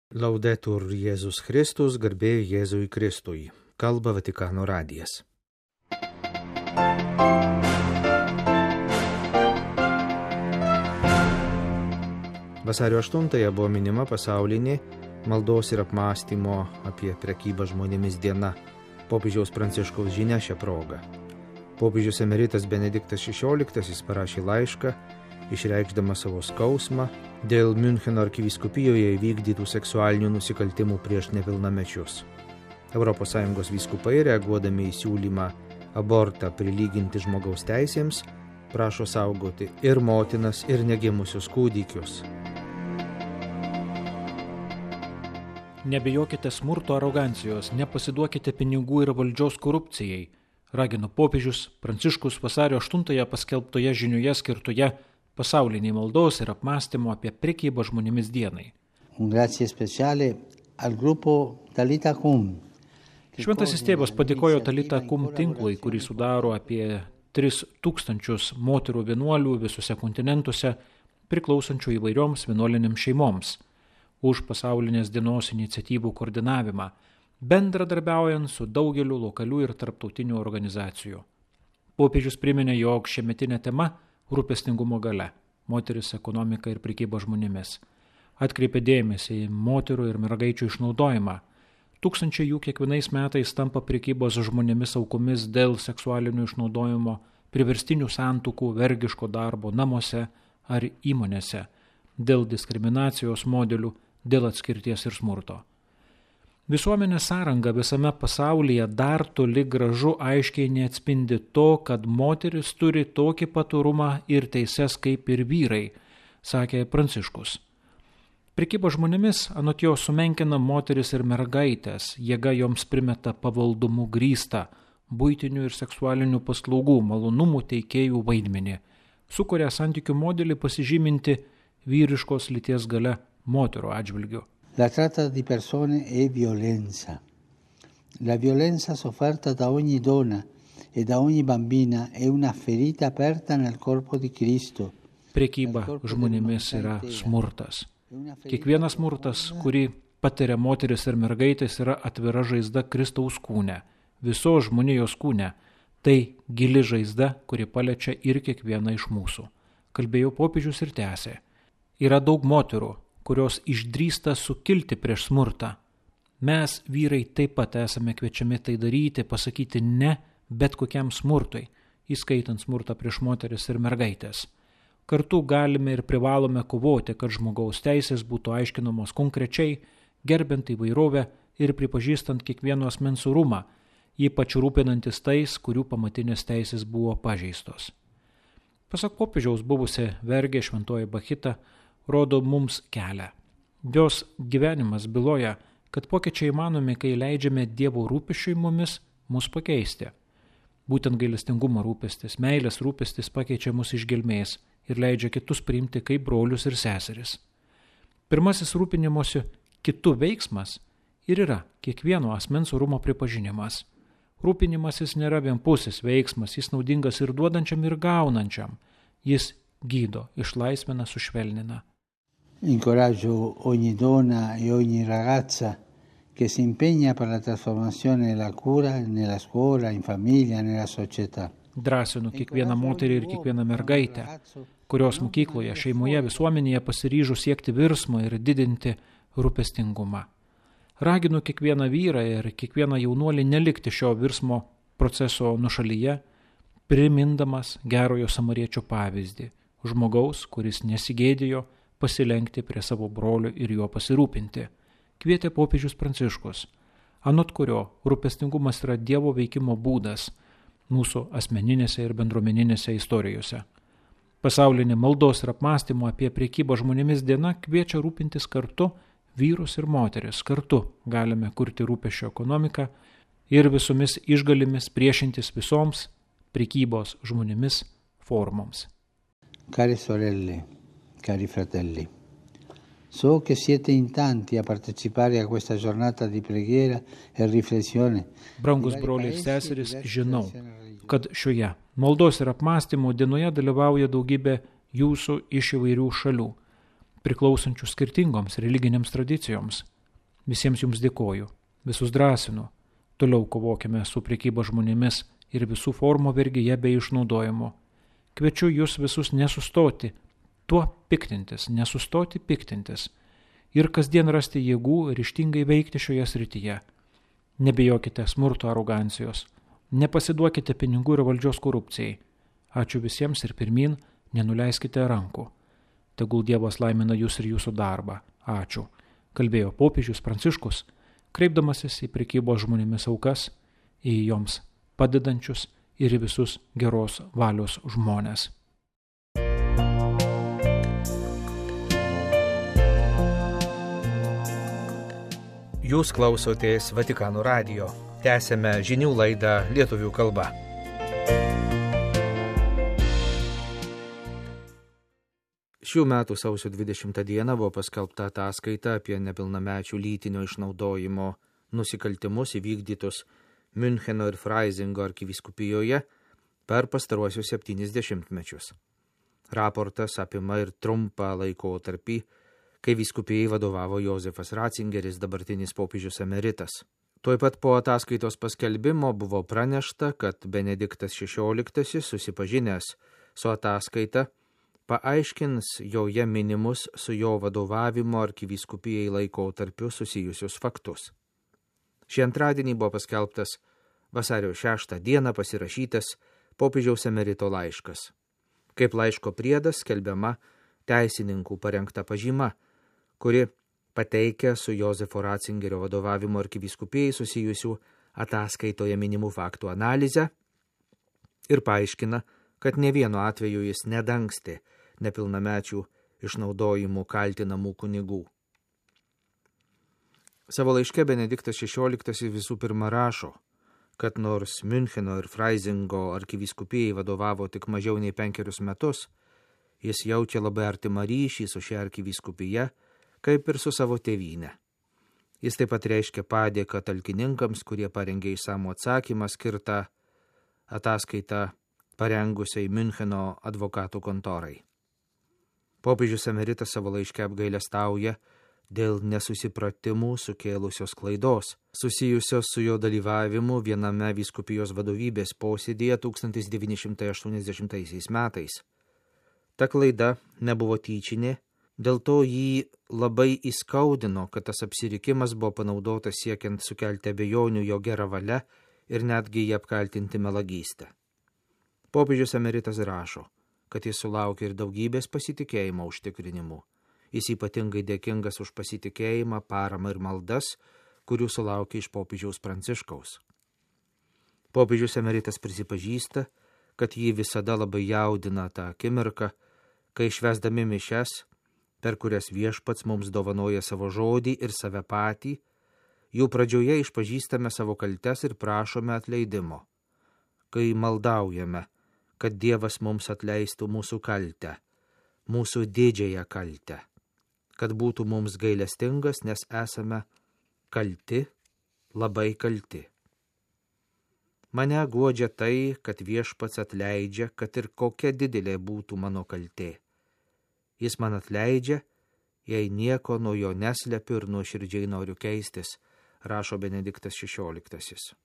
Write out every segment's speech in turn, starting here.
Laudetur Jėzus Kristus, garbė Jėzui Kristui. Kalba Vatikano radijas. Vasario 8 buvo minima pasaulinė maldos ir apmąstymo apie prekybą žmonėmis diena. Popiežiaus Pranciškaus žinia šią progą. Popiežius emeritas Benediktas XVI parašė laišką, išreikšdamas savo skausmą dėl Miuncheno arkivyskupijoje įvykdytų seksualinių nusikaltimų prieš nepilnamečius. ES vyskupai, reaguodami į siūlymą abortą prilyginti žmogaus teisėms, prašo saugoti ir motinas, ir negimusius kūdikius. Nebijokite smurto arogancijos, nepasiduokite pinigų ir valdžios korupcijai, ragino popiežius Pranciškus vasario 8 paskelbtoje žinioje skirtoje pasauliniai maldos ir apmąstymo apie prekybą žmonėmis dienai. Šventasis tėvas padėkojo Talita Kum tinklui, kurį sudaro apie 3000 moterų vienuolių visuose kontinentuose, priklausančių įvairioms vienuolinėms šeimoms, už pasaulinės dienos iniciatyvų koordinavimą, bendradarbiaujant su daugeliu lokalių ir tarptautinių organizacijų. Popiežius priminė, jog šiemetinė tema rūpestingumo galia, moteris, ekonomika ir prekyba žmonėmis. Atkreipė dėmesį į moterų ir mergaičių išnaudojimą. Tūkstančiai jų kiekvienais metais tampa prekybos žmonėmis aukomis dėl seksualinio išnaudojimo, priverstinių santuokų, vergiško darbo namuose ar įmonėse, dėl diskriminacijos modelių, dėl atskirties ir smurto. Visuomenės sąranga visame pasaulyje dar toli gražu aiškiai neatspindi to, kad moteris turi tokį pat orumą ir teises kaip ir vyrai, sakė Pranciškus. Prekyba žmonėmis anot jo sumenkina moteris ir mergaitės, jėga joms primeta pavaldumu grįstą, buitinių ir seksualinių paslaugų, malonumų teikėjų vaidmenį, sukuria santykių modelį pasižyminti vyriškos lyties galia moterų atžvilgiu. La tratta di persone è violenza. La violenza sofferta da ogni donna e da ogni bambina è una ferita aperta nel corpo di Cristo. Prekyba žmonėmis yra smurtas. Kiekvienas smurtas, kurį patiria moteris ir mergaitės, yra atvira žaizda Kristaus kūne, visos žmonijos kūne. Tai gili žaizda, kuri paliečia ir kiekvieną iš mūsų. Kalbėjo popiežius ir tęsė. Yra daug moterų, kurios išdrįsta sukilti prieš smurtą. Mes, vyrai, taip pat esame kviečiami tai daryti, pasakyti ne bet kokiam smurtui, įskaitant smurtą prieš moteris ir mergaitės. Kartu galime ir privalome kovoti, kad žmogaus teisės būtų aiškinamos konkrečiai, gerbent įvairovę ir pripažįstant kiekvieno asmens orumą, ypač rūpinantis tais, kurių pamatinės teisės buvo pažeistos. Pasak popiežiaus, buvusi vergė Šventoji Bachita rodo mums kelią. Jos gyvenimas byloja, kad pokyčiai įmanomi, kai leidžiame Dievo rūpesčiui mumis mus pakeisti. Būtent gailestingumo rūpestis, meilės rūpestis pakeičia mus iš gelmės ir leidžia kitus priimti kaip brolius ir seseris. Pirmasis rūpinimosi kitų veiksmas ir yra kiekvieno asmens orumo pripažinimas. Rūpinimasis nėra vienpusis veiksmas, jis naudingas ir duodančiam, ir gaunančiam. Jis gydo, išlaisvina, sušvelnina. Incoraggio ogni donna e ogni ragazza che si impegna per la trasformazione e la cura nella scuola, in famiglia, nella società. Drąsinu kiekvieną moterį ir kiekvieną mergaitę, kurios mokykloje, šeimoje, visuomenėje pasiryžo siekti virsmo ir didinti rūpestingumą. Raginu kiekvieną vyrą ir kiekvieną jaunuolį nelikti šio virsmo proceso nušalyje, primindamas gerojo samariečio pavyzdį, žmogaus, kuris nesigėdijo pasilenkti prie savo brolio ir juo pasirūpinti. Kvietė popiežius Pranciškus, anot kurio rūpestingumas yra Dievo veikimo būdas mūsų asmeninėse ir bendruomeninėse istorijose. Pasaulinė maldos ir apmąstymo apie prekybą žmonėmis diena kviečia rūpintis kartu vyrus ir moteris. Kartu galime kurti rūpesčio ekonomiką ir visomis išgalimis priešintis visoms prekybos žmonėmis formoms. Cari sorelle, cari fratelli, so che siete in tanti a partecipare a questa giornata di preghiera e riflessione. Brangus broliai ir seserys, žinau, kad šioje maldos ir apmąstymo dienoje dalyvauja daugybė jūsų iš įvairių šalių, priklausančių skirtingoms religinėms tradicijoms. Visiems jums dėkoju, visus drąsinu. Toliau kovokime su prekyba žmonėmis ir visų formų vergyje bei išnaudojimu. Kviečiu jūs visus nesustoti tuo piktintis, nesustoti piktintis ir kasdien rasti jėgų ryžtingai veikti šioje srityje. Nebijokite smurto arogancijos, nepasiduokite pinigų ir valdžios korupcijai. Ačiū visiems ir pirmin, nenuleiskite rankų. Tegul Dievas laimina jūs ir jūsų darbą. Ačiū. Kalbėjo popiežius Pranciškus, kreipdamasis į prekybos žmonėmis aukas, į joms padedančius ir į visus geros valios žmones. Jūs klausotės Vatikano radijo. Tęsėme žinių laidą lietuvių kalba. Šių metų sausio 20 dieną buvo paskelbta ataskaita apie nepilnamečių lytinio išnaudojimo nusikaltimus įvykdytus Müncheno ir Freisingo arkivyskupijoje per pastaruosius 70 mečius. Raportas apima ir trumpą laikotarpį, kai vyskupijai vadovavo Jozefas Ratzingeris, dabartinis popiežius emeritas. Tuoj pat po ataskaitos paskelbimo buvo pranešta, kad Benediktas XVI, susipažinęs su ataskaita, paaiškins joje minimus su jo vadovavimo arkivyskupijai laikotarpiu susijusius faktus. Šį antradienį buvo paskelbtas vasario 6 dieną pasirašytas popiežiaus emerito laiškas. Kaip laiško priedas skelbiama teisininkų parengta pažyma, kuri pateikia su Jozefo Ratzingerio vadovavimo arkivyskupijai susijusių ataskaitoje minimų faktų analizę ir paaiškina, kad ne vienu atveju jis nedangstė nepilnamečių išnaudojimų kaltinamų kunigų. Savo laiške Benediktas XVI visų pirma rašo, kad nors Müncheno ir Freisingo arkivyskupijai vadovavo tik mažiau nei 5 metus, jis jaučia labai artimą ryšį su šia arkivyskupija, kaip ir su savo tėvyne. Jis taip pat reiškia padėką talkininkams, kurie parengė išsamų atsakymą skirtą ataskaitą parengusiai Müncheno advokatų kontorai. Popiežius emeritas savo laiške apgailestauja dėl nesusipratimų sukėlusios klaidos, susijusios su jo dalyvavimu viename vyskupijos vadovybės posėdėje 1980 metais. Ta klaida nebuvo tyčinė, dėl to jį labai įskaudino, kad tas apsirikimas buvo panaudotas siekiant sukelti abejonių jo gerą valią ir netgi jį apkaltinti melagystę. Popiežius emeritas rašo, kad jis sulaukė ir daugybės pasitikėjimo užtikrinimų. Jis ypatingai dėkingas už pasitikėjimą, paramą ir maldas, kurių sulaukė iš popiežiaus Pranciškaus. Popiežius emeritas prisipažįsta, kad jį visada labai jaudina tą akimirką, kai švęsdami mišias, per kurias Viešpats mums dovanoja savo žodį ir save patį, jų pradžioje išpažįstame savo kaltes ir prašome atleidimo. Kai maldaujame, kad Dievas mums atleistų mūsų kaltę, mūsų didžiąją kaltę, kad būtų mums gailestingas, nes esame kalti, labai kalti. Mane guodžia tai, kad Viešpats atleidžia, kad ir kokia didelė būtų mano kaltė. Jis man atleidžia, jei nieko nuo jo neslepiu ir nuoširdžiai noriu keistis, rašo Benediktas XVI.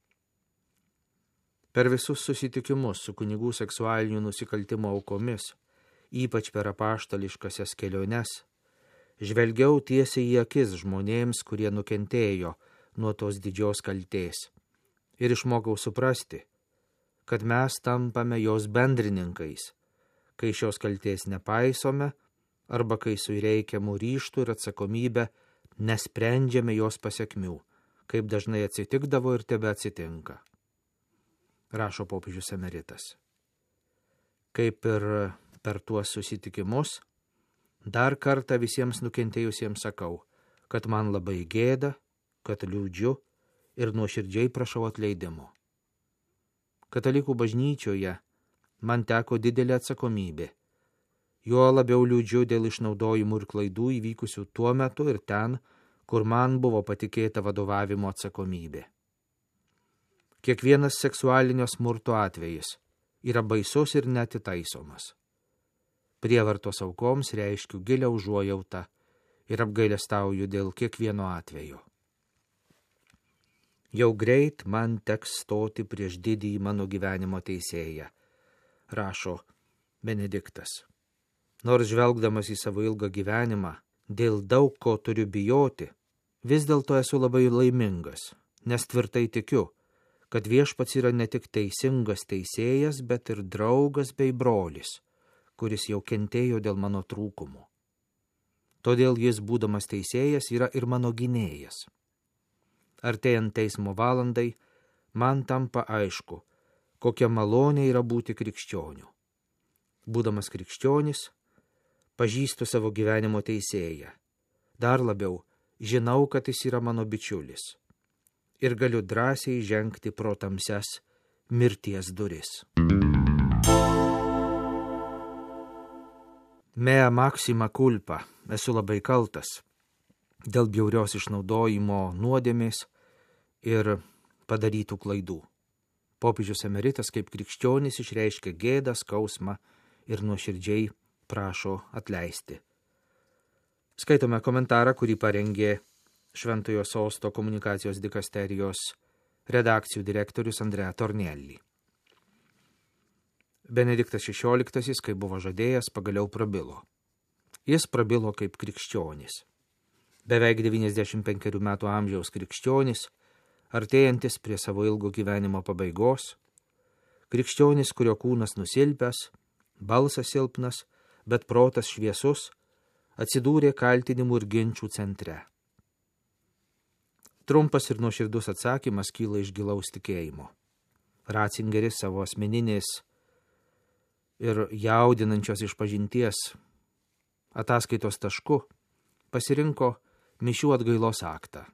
Per visus susitikimus su kunigų seksualinių nusikaltimo aukomis, ypač per apaštališkasias keliones, žvelgiau tiesiai į akis žmonėms, kurie nukentėjo nuo tos didžios kaltės, ir išmokau suprasti, kad mes tampame jos bendrininkais, kai šios kaltės nepaisome, arba kai su reikiamu ryžtu ir atsakomybę nesprendžiame jos pasekmių, kaip dažnai atsitikdavo ir tebe atsitinka. Rašo popiežius emeritas. Kaip ir per tuos susitikimus, dar kartą visiems nukentėjusiems sakau, kad man labai gėda, kad liūdžiu ir nuoširdžiai prašau atleidimo. Katalikų bažnyčioje man teko didelė atsakomybė. Juo labiau liūdžiu dėl išnaudojimų ir klaidų įvykusių tuo metu ir ten, kur man buvo patikėta vadovavimo atsakomybė. Kiekvienas seksualinio smurto atvejis yra baisus ir neatitaisomas. Prievartos aukoms reiškiu gilią užuojautą ir apgailestauju dėl kiekvieno atvejo. Jau greit man teks stoti prieš didįjį mano gyvenimo teisėją, rašo Benediktas. Nors žvelgdamas į savo ilgą gyvenimą, dėl daug ko turiu bijoti, vis dėlto esu labai laimingas, nes tvirtai tikiu, kad Viešpats yra ne tik teisingas teisėjas, bet ir draugas bei brolis, kuris jau kentėjo dėl mano trūkumų. Todėl jis, būdamas teisėjas, yra ir mano gynėjas. Artėjant teismo valandai, man tampa aišku, kokia malonė yra būti krikščioniu. Būdamas krikščionis, pažįstu savo gyvenimo teisėją. Dar labiau, žinau, kad jis yra mano bičiulis. Ir galiu drąsiai žengti pro tamsias mirties duris. Mea maxima culpa, esu labai kaltas dėl bjaurios išnaudojimo nuodėmės ir padarytų klaidų. Popiežius emeritas kaip krikščionis išreiškia gėdą, skausmą ir nuoširdžiai prašo atleisti. Skaitome komentarą, kurį parengė Šventojo Sosto komunikacijos dikasterijos redakcijų direktorius Andrea Tornielli. Benediktas XVI, kai buvo žadėjęs, pagaliau prabilo. Jis prabilo kaip krikščionis. Beveik 95 metų amžiaus krikščionis, artėjantis prie savo ilgo gyvenimo pabaigos, krikščionis, kurio kūnas nusilpęs, balsas silpnas, bet protas šviesus, atsidūrė kaltinimų ir ginčių centre. Trumpas ir nuoširdus atsakymas kyla iš gilaus tikėjimo. Ratzingeris savo asmeninės ir jaudinančios išpažinties ataskaitos tašku pasirinko mišių atgailos aktą.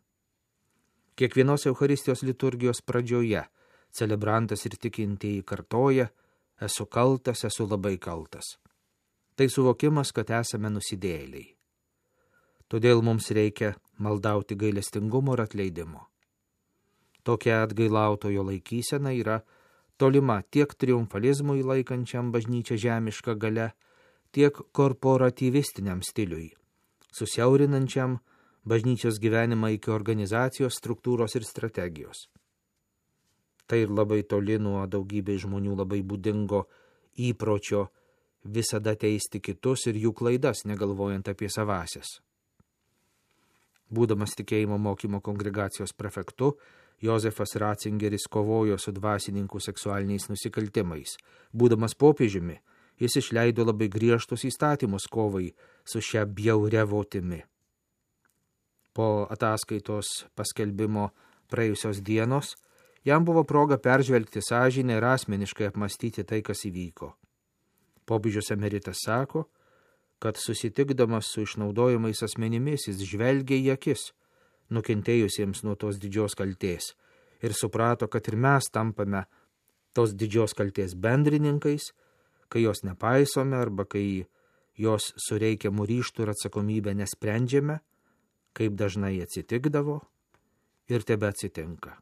Kiekvienos Eucharistijos liturgijos pradžioje celebrantas ir tikintieji kartoja: esu kaltas, esu labai kaltas. Tai suvokimas, kad esame nusidėjėliai. Todėl mums reikia maldauti gailestingumo ir atleidimo. Tokia atgailautojo laikysena yra tolima tiek triumfalizmui laikančiam bažnyčią žemišką gale, tiek korporatyvistiniam stiliui, susiaurinančiam bažnyčios gyvenimą iki organizacijos, struktūros ir strategijos. Tai ir labai toli nuo daugybės žmonių labai būdingo įpročio visada teisti kitus ir jų klaidas, negalvojant apie savasias. Būdamas tikėjimo mokymo kongregacijos prefektu, Jozefas Ratzingeris kovojo su dvasininkų seksualiniais nusikaltimais. Būdamas popiežiumi, jis išleido labai griežtus įstatymus kovai su šia bjauria votimi. Po ataskaitos paskelbimo praėjusios dienos, jam buvo proga peržvelgti sąžinę ir asmeniškai apmastyti tai, kas įvyko. Popiežius emeritas sako, kad susitikdamas su išnaudojamais asmenimis jis žvelgė į akis nukentėjusiems nuo tos didžios kaltės ir suprato, kad ir mes tampame tos didžios kaltės bendrininkais, kai jos nepaisome arba kai jos su reikiamu ryžtu ir atsakomybę nesprendžiame, kaip dažnai atsitikdavo ir tebe atsitinka.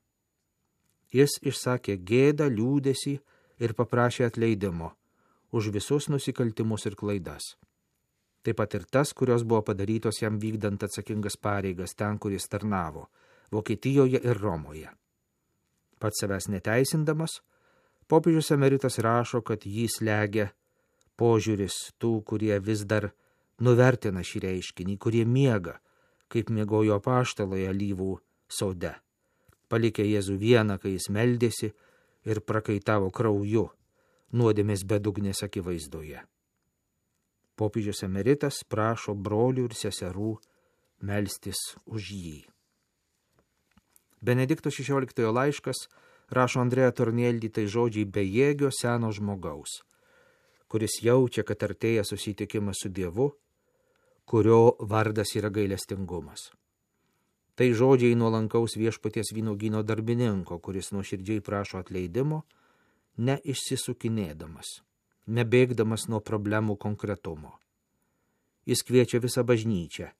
Jis išsakė gėdą, liūdesį ir paprašė atleidimo už visus nusikaltimus ir klaidas. Taip pat ir tas, kurios buvo padarytos jam vykdant atsakingas pareigas ten, kur jis tarnavo, Vokietijoje ir Romoje. Pats savęs neteisindamas, popiežius emeritas rašo, kad jį slegia požiūris tų, kurie vis dar nuvertina šį reiškinį, kurie miega, kaip miegojo apaštalai alyvų sode, palikę Jėzų vieną, kai jis meldėsi ir prakaitavo krauju nuodėmės bedugnės akivaizdoje. Popiežius emeritas prašo brolių ir seserų melstis už jį. Benedikto XVI laiškas rašo Andrea Tornielli tai žodžiai bejėgio seno žmogaus, kuris jaučia, kad artėja susitikimas su Dievu, kurio vardas yra gailestingumas. Tai žodžiai nuolankaus Viešpaties vynuogyno darbininko, kuris nuoširdžiai prašo atleidimo, neišsisukinėdamas, nebėgdamas nuo problemų konkretumo. Jis kviečia visą bažnyčią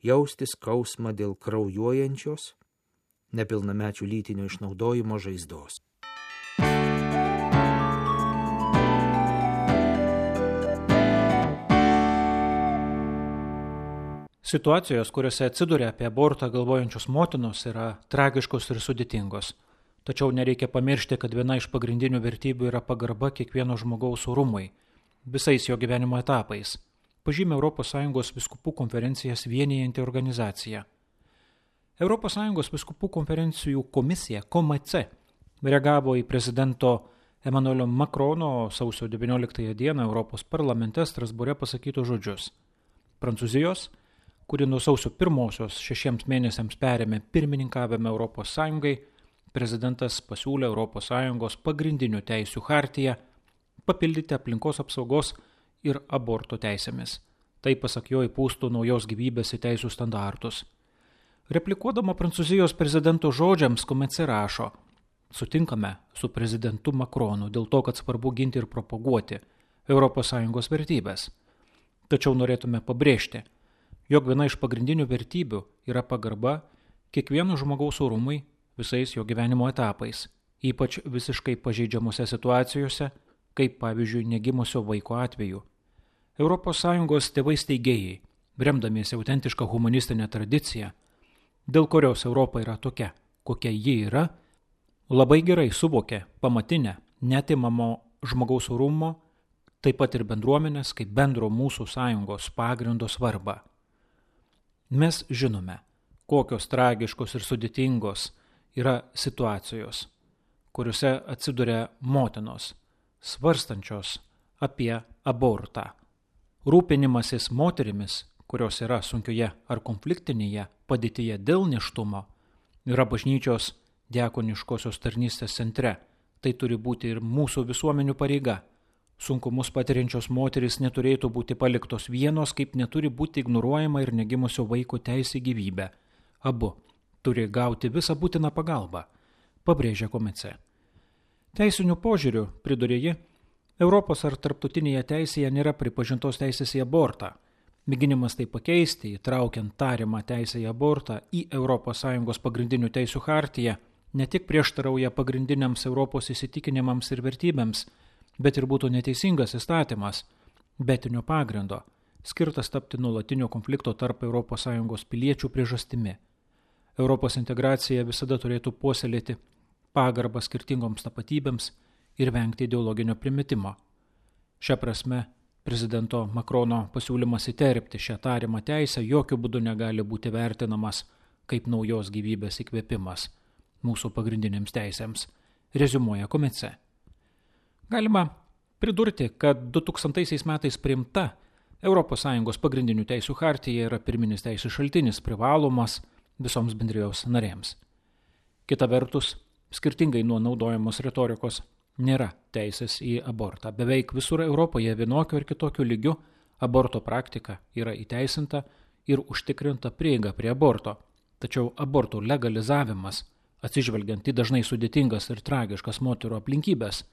jausti skausmą dėl kraujuojančios, nepilnamečių lytinio išnaudojimo žaizdos. Situacijos, kuriuose atsiduria apie abortą galvojančios motinos, yra tragiškos ir sudėtingos. Tačiau nereikia pamiršti, kad viena iš pagrindinių vertybių yra pagarba kiekvieno žmogaus orumui, visais jo gyvenimo etapais, pažymė ES vyskupų konferencijas vienijanti organizacija. ES vyskupų konferencijų komisija, KOMC, reagavo į prezidento Emmanuelio Macrono sausio 19 dieną Europos parlamente Strasbūre pasakytus žodžius. Prancūzijos, kuri nuo sausio 1-osios 6 mėnesiams perėmė pirmininkavimą ES, prezidentas pasiūlė ES pagrindinių teisių chartiją papildyti aplinkos apsaugos ir aborto teisėmis. Tai, pasak jo, įpūstų naujos gyvybės į teisų standartus. Replikuodama Prancūzijos prezidento žodžiams, KOMC rašo: sutinkame su prezidentu Macronu dėl to, kad svarbu ginti ir propaguoti ES vertybės. Tačiau norėtume pabrėžti, jog viena iš pagrindinių vertybių yra pagarba kiekvieno žmogaus orumui visais jo gyvenimo etapais, ypač visiškai pažeidžiamose situacijose, kaip pavyzdžiui negimusio vaiko atveju. ES tėvai steigėjai, remdamiesi autentišką humanistinę tradiciją, dėl kurios Europa yra tokia, kokia ji yra, labai gerai suvokė pamatinę, neatimamo žmogaus orumo, taip pat ir bendruomenės kaip bendro mūsų sąjungos pagrindo svarbą. Mes žinome, kokios tragiškos ir sudėtingos yra situacijos, kuriuose atsiduria motinos, svarstančios apie abortą. Rūpinimasis moterimis, kurios yra sunkioje ar konfliktinėje padėtyje dėl nėštumo, yra bažnyčios diakoniškosios tarnystės centre. Tai turi būti ir mūsų visuomenių pareiga. Sunkumus patiriančios moterys neturėtų būti paliktos vienos, kaip neturi būti ignoruojama ir negimusio vaiko teisė į gyvybę. Abu turi gauti visą būtiną pagalbą, pabrėžia KOMC. Teisiniu požiūriu, pridurė ji, Europos ar tarptautinėje teisėje nėra pripažintos teisės į abortą. Mėginimas tai pakeisti, įtraukiant tariamą teisę į abortą į ES pagrindinių teisių chartiją, ne tik prieštarauja pagrindiniams Europos įsitikinimams ir vertybėms, bet ir būtų neteisingas įstatymas, betinio pagrindo, skirtas tapti nuolatinio konflikto tarp ES piliečių priežastimi. Europos integracija visada turėtų puoselėti pagarbą skirtingoms tapatybėms ir vengti ideologinio primetimo. Šia prasme, prezidento Macrono pasiūlymas įterpti šią tariamą teisę jokių būdų negali būti vertinamas kaip naujos gyvybės įkvėpimas mūsų pagrindinėms teisėms, reziumuoja KOMC. Galima pridurti, kad 2000 metais priimta ES pagrindinių teisių chartija yra pirminis teisų šaltinis privalomas visoms bendrijos narėms. Kita vertus, skirtingai nuo naudojamos retorikos, nėra teisės į abortą. Beveik visur Europoje vienokiu ar kitokiu lygiu aborto praktika yra įteisinta ir užtikrinta prieiga prie aborto. Tačiau abortų legalizavimas, atsižvelgiant į dažnai sudėtingas ir tragiškas moterų aplinkybės,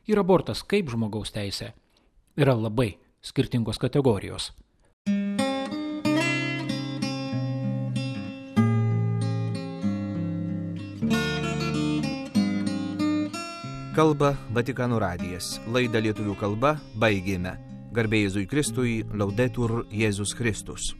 ir abortas kaip žmogaus teisė yra labai skirtingos kategorijos. Kalba Vatikano radijas. Laidą lietuvių kalba baigėme. Garbė Jėzui Kristui, Laudetur Jėzus Kristus.